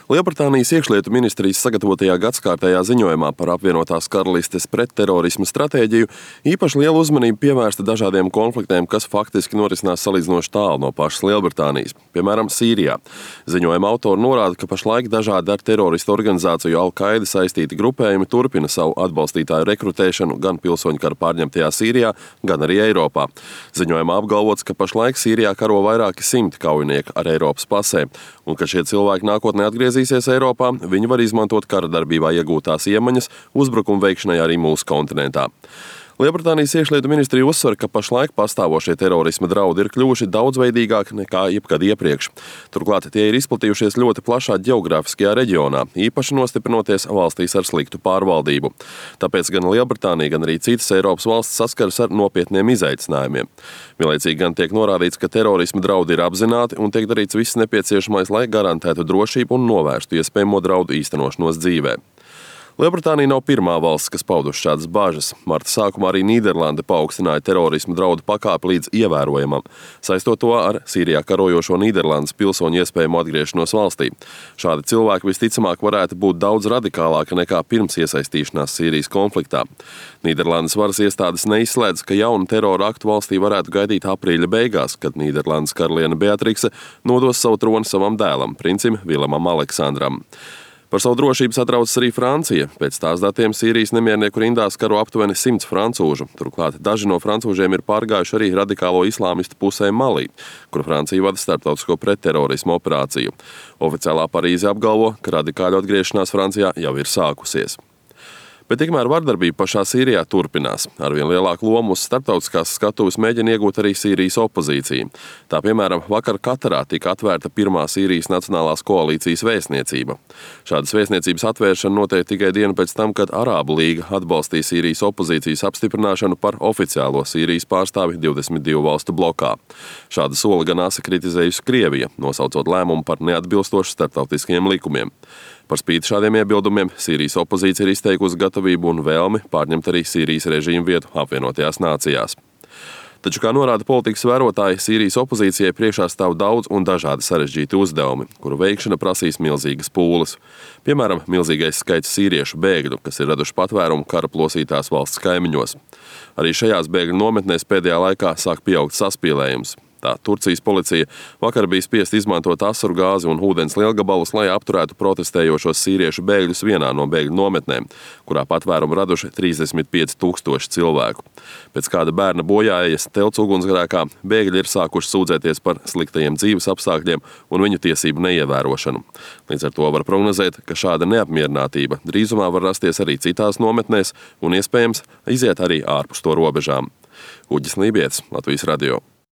Lielbritānijas iekšlietu ministrijas sagatavotajā gadskārtējā ziņojumā par apvienotās karalistes pretterorisma stratēģiju īpaši lielu uzmanību pievērsta dažādiem konfliktiem, kas faktiski norisinās salīdzinoši tālu no pašas Lielbritānijas, piemēram, Sīrijā. Ziņojuma autori norāda, ka pašlaik dažādi ar teroristu organizāciju Al-Qaida saistīti grupējumi turpina savu atbalstītāju rekrutēšanu gan pilsoņu kara pārņemtajā Sīrijā, gan arī Eiropā. Ziņojumā apgalvots, ka pašlaik Sīrijā karo vairāki simti kaujinieku ar Eiropas pasēm, un ka šie cilvēki nākotnē atgriezīsies Eiropā, viņi var izmantot kara darbībā iegūtās iemaņas uzbrukumu veikšanai arī mūsu kontinentā. Lielbritānijas iekšlietu ministrija uzsver, ka pašlaik pastāvošie terorisma draudi ir kļuvuši daudzveidīgāki nekā jebkad iepriekš. Turklāt tie ir izplatījušies ļoti plašā ģeogrāfiskajā reģionā, īpaši nostiprinoties valstīs ar sliktu pārvaldību. Tāpēc gan Lielbritānija, gan arī citas Eiropas valstis saskaras ar nopietniem izaicinājumiem. Vienlaicīgi gan tiek norādīts, ka terorisma draudi ir apzināti un tiek darīts viss nepieciešamais, lai garantētu drošību un novērstu iespējamo draudu īstenošanos dzīvē. Lielbritānija nav pirmā valsts, kas pauduši šādas bažas. Marta sākumā arī Nīderlande paaugstināja terorisma draudu pakāpi līdz ievērojamam, saistot to ar Sīrijā karojošo Nīderlandes pilsoņu iespējamo atgriešanos valstī. Šādi cilvēki visticamāk varētu būt daudz radikālāki nekā pirms iesaistīšanās Sīrijas konfliktā. Nīderlandes varas iestādes neizslēdz, ka jaunu terora aktu valstī varētu gaidīt aprīļa beigās, kad Nīderlandes karaliene Beatrikse nodos savu troni savam dēlam, princim Vilemam Aleksandram. Par savu drošību satraucas arī Francija. Pēc tās datiem Sīrijas nemiernieku rindās karo aptuveni 100 francūžu. Turklāt daži no francūžiem ir pārgājuši arī radikālo islāmistu pusē Malī, kur Francija vada starptautisko pretterorismu operāciju. Oficiālā Parīze apgalvo, ka radikāļu atgriešanās Francijā jau ir sākusies. Bet tikmēr vardarbība pašā Sīrijā turpinās. Arvien lielāku lomu uz starptautiskās skatuves mēģina iegūt arī Sīrijas opozīcija. Tā, piemēram, vakar Katarā tika atvērta pirmā Sīrijas Nacionālās koalīcijas vēstniecība. Šādas vēstniecības atvēršana notiek tikai dienu pēc tam, kad Arābu līga atbalstīja Sīrijas opozīcijas apstiprināšanu par oficiālo Sīrijas pārstāvi 22 valstu blokā. Šāda soli gan asa kritizējusi Krievija, nosaucot lēmumu par neatbilstošu starptautiskiem likumiem. Par spīti šādiem iebildumiem Sīrijas opozīcija ir izteikusi gatavību un vēlmi pārņemt arī Sīrijas režīmu vietu apvienotajās nācijās. Taču, kā norāda politikas vērotāji, Sīrijas opozīcijai priekšā stāv daudz un dažādi sarežģīti uzdevumi, kuru veikšana prasīs milzīgas pūles. Piemēram, milzīgais skaits sīriešu bēgļu, kas ir raduši patvērumu kara plosītās valsts kaimiņos. Arī šajās bēgļu nometnēs pēdējā laikā sāk pieaugt saspīlējums. Tā Turcijas policija vakar bija spiest izmantot asaru gāzi un ūdens lielgabalus, lai apturētu protestējošos sīriešu bēgļus vienā no bēgļu nometnēm, kurā patvērumu raduši 35 000 cilvēku. Pēc kāda bērna bojājas telts ugunsgrēkā bēgļi ir sākuši sūdzēties par sliktajiem dzīves apstākļiem un viņu tiesību neievērošanu. Līdz ar to var prognozēt, ka šāda neapmierinātība drīzumā var rasties arī citās nometnēs un iespējams iziet arī ārpus to robežām. Uģis Lībietis, Latvijas radio.